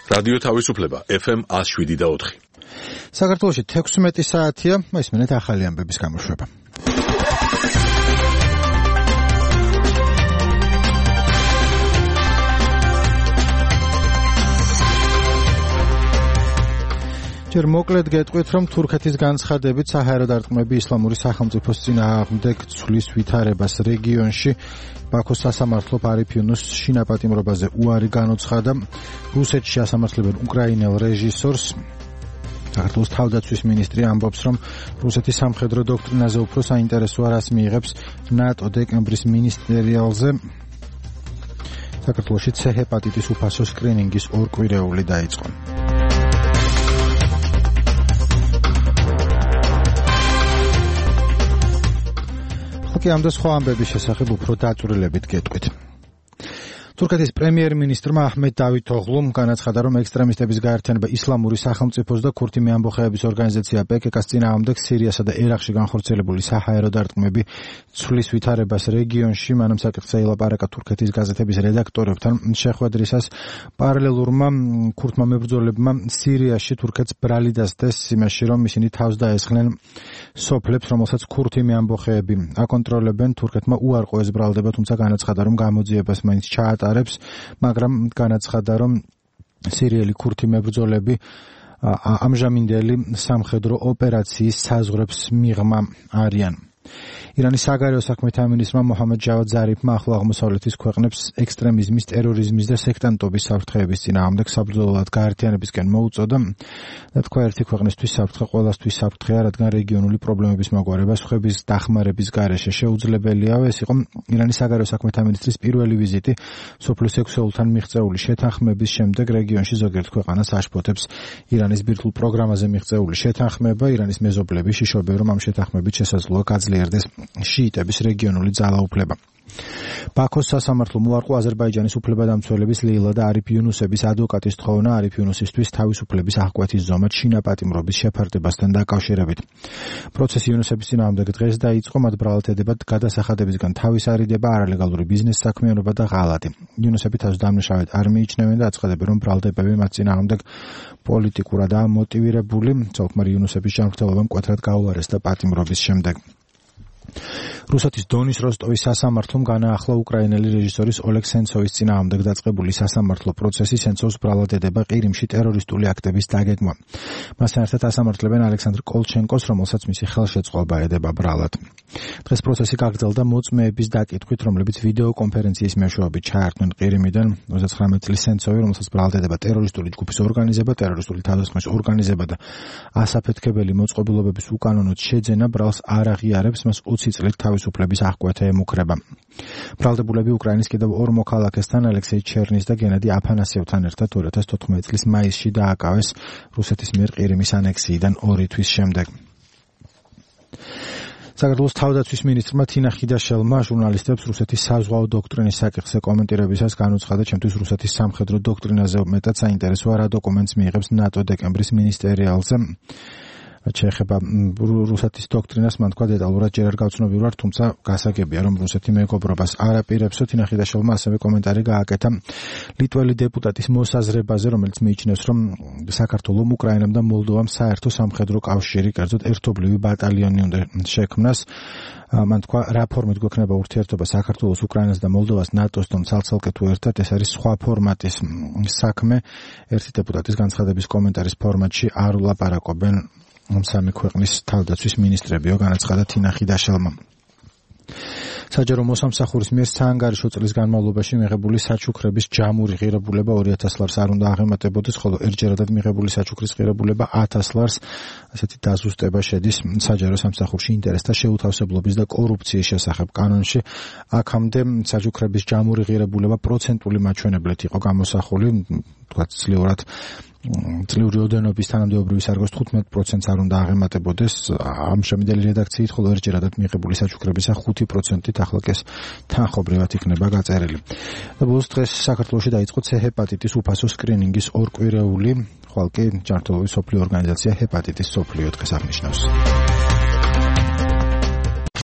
რადიო თავისუფლება FM 107.4. საქართველოში 16 საათია, ისმენეთ ახალი ამბების გამოშვება. ჯერ მოკლედ გეტყვით, რომ თურქეთის განცხადებით საჰაერო დარტყმები ისლამური სახელმწიფოს წინააღმდეგ ცვლის ვითარებას რეგიონში ბაქოს სასამართლო არიფ იუნუს შინაპატიმრობაზე უარი განუცხადა. რუსეთში ასამართლებენ უკრაინელ რეჟისორს. საქართველოს თავდაცვის მინისტრი ამბობს, რომ რუსეთის სამხედრო დოქტრინაზე უფრო საინტერესოა, რას მიიღებს ნატო დეკემბრის მინისტერიალზე. საქართველოში C ჰეპატიტის უფასო სკრინინგის ორკვირეული დაიწყო. კი ამ და სხვა ამბების შესახებ უფრო დაწვრილებით გეტყვით. თურქეთის პრემიერ-მინისტრმა აჰმედ დავითოღლუმ განაცხადა, რომ ექსტრემისტების გაერთიანება ისლამური სახელმწიფოს და ქურთი მეამბოხეების ორგანიზაცია PKK-ს წინააღმდეგ სირიასა და ერაყში განხორციელებული საჰაერო დარტყმები ცვლის ვითარებას რეგიონში. მანამ საკითხზე ილაპარაკა თურქეთის გაზეთების რედაქტორებთან შეხვედრისას. პარალელურმა ქურთმა მებრძოლებმა სირიაში თურქეთს ბრალი დასდეს იმაში, რომ ისინი თავს დაესხნენ სოფლებს, რომელსაც ქურთი მეამბოხეები აკონტროლებენ. თურქეთმა უარყო ეს ბრალდება, თუმცა განაცხადა, რომ გამოძიებას მაინც ჩაატარებს, მაგრამ განაცხადა, რომ სირიელი ქურთი მებრძოლები ამჟამინდელი სამხედრო ოპერაციის საზღვრებს მიღმა არიან. ირანის საგარეო საქმეთა მინისტრმა მოჰამედ ჯავად ზარიფმა ახლო აღმოსავლეთის ქვეყნებს ექსტრემიზმის, ტერორიზმის და სექტანტობის საფრთხეების წინააღმდეგ საბრძოლოდ გაერთიანებისკენ მოუწოდა. და თქვა, ერთი ქვეყნისთვის საფრთხე ყველასთვის საფრთხეა, რადგან რეგიონული პრობლემების მოგვარება სხვების დახმარების გარეშე შეუძლებელია. ეს იყო ირანის საგარეო საქმეთა მინისტრის პირველი ვიზიტი სოფლის ექვსეულთან მიღწეული შეთანხმების შემდეგ. რეგიონში ზოგიერთ ქვეყანას აშფოთებს ირანის ბირთვულ პროგრამაზე მიღწეული შეთანხმება. ირანის მეზობლები შიშობენ, რომ ამ შეთანხმებით შესაძლოა გაძლიერდეს შიიტების რეგიონული ძალაუფლება. ბაქოს სასამართლომ უარყო აზერბაიჯანის უფლებადამცველების ლეილა და არიფ იუნუსების ადვოკატის თხოვნა არიფ იუნუსისთვის თავისუფლების აღკვეთის ზომად შინაპატიმრობის შეფარდებასთან დაკავშირებით. პროცესი იუნუსების წინააღმდეგ დღეს დაიწყო, მათ ბრალად ედებათ გადასახადებისგან თავის არიდება, არალეგალური ბიზნეს საქმიანობა და ღალატი. იუნუსები თავს დამნაშავედ არ მიიჩნევენ და აცხადებენ, რომ ბრალდებები მათ წინააღმდეგ პოლიტიკურადაა მოტივირებული. ცოლ-ქმარი იუნუსების ჯანმრთელობა მკვეთრად გაუარესდა პატიმრობის შემდეგ. რუსეთის დონის როსტოვის სასამართლომ განაახლა უკრაინელი რეჟისორის ოლეგ სენცოვის წინააღმდეგ დაწყებული სასამართლო პროცესი. სენცოვს ბრალად ედება ყირიმში ტერორისტული აქტების დაგეგმა. მასთან ერთად ასამართლებენ ალექსანდრ კოლჩენკოს, რომელსაც მისი ხელშეწყობა ედება ბრალად. დღეს პროცესი გაგრძელდა მოწმეების დაკითხვით, რომლებიც ვიდეო კონფერენციის მეშვეობით ჩაერთვნენ ყირიმიდან. 39 წლის სენცოვი, რომელსაც ბრალად ედება ტერორისტული ჯგუფის ორგანიზება, ტერორისტული თავდასხმის ორგანიზება და ასაფეთქებელი მოწყობილობების უკანონოდ შეძენა ბრალს არ აღიარებს, მას 20 წლით თავისუფლების აღკვეთა ემუქრება. ბრალდებულები უკრაინის კიდევ ორ მოქალაქესთან, ალექსეი ჩერნის და გენადი აფანასიევთან ერთად 2014 წლის მაისში დააკავეს რუსეთის მიერ ყირიმის ანექსიიდან 2 თვის შემდეგ. საქართველოს თავდაცვის მინისტრმა თინა ხიდაშელმა ჟურნალისტებს რუსეთის საზღვაო დოქტრინის საკითხზე კომენტირებისას განუცხადა, ჩემთვის რუსეთის სამხედრო დოქტრინაზე მეტად საინტერესოა, რა დოკუმენტს მიიღებს ნატო დეკემბრის მინისტერიალზე. შეეხება რუსეთის დოქტრინას, მან თქვა, დეტალურად ჯერ არ გავცნობი ვარ, თუმცა გასაგებია, რომ რუსეთი მეგობრობას არ აპირებსო. თინა ხიდაშელმა ასევე კომენტარი გააკეთა ლიტველი დეპუტატის მოსაზრებაზე, რომელიც მიიჩნევს, რომ საქართველომ, უკრაინამ და მოლდოვამ საერთო სამხედრო კავშირი, კერძოდ ერთობლივი ბატალიონი უნდა შექმნას. მან თქვა, რა ფორმით გვექნება ურთიერთობა საქართველოს, უკრაინას და მოლდოვას ნატოსთან ცალ-ცალკე თუ ერთად, ეს არის სხვა ფორმატის საქმე. ერთი დეპუტატის განცხადების კომენტარის ფორმატში არ ვლაპარაკობენ სამი ქვეყნის თავდაცვის მინისტრებიო, განაცხადა თინა ხიდაშელმა. საჯარო მოსამსახურის მიერ საანგარიშო წლის განმავლობაში მიღებული საჩუქრების ჯამური ღირებულება 2000 ლარს არ უნდა აღემატებოდეს, ხოლო ერთჯერადად მიღებული საჩუქრის ღირებულება 1000 ლარს. ასეთი დაზუსტება შედის საჯარო სამსახურში ინტერესთა შეუთავსებლობის და კორუფციის შესახებ კანონში. აქამდე საჩუქრების ჯამური ღირებულება პროცენტული მაჩვენებლით იყო გამოსახული, თქვა ძლიერად წლიური ოდენობის თანამდებობრივი სარგოს 15% არ უნდა აღემატებოდეს. ამჟამინდელი რედაქციით, ხოლო ერთჯერადად მიღებული საჩუქრებისა 5%-ით ახლა კი ეს თანხობრივად იქნება გაწერილი. და ბოლოს დღეს საქართველოში დაიწყო C ჰეპატიტის უფასო სკრინინგის ორკვირეული, ხვალ კი ჯანმრთელობის მსოფლიო ორგანიზაცია ჰეპატიტის მსოფლიო დღეს აღნიშნავს.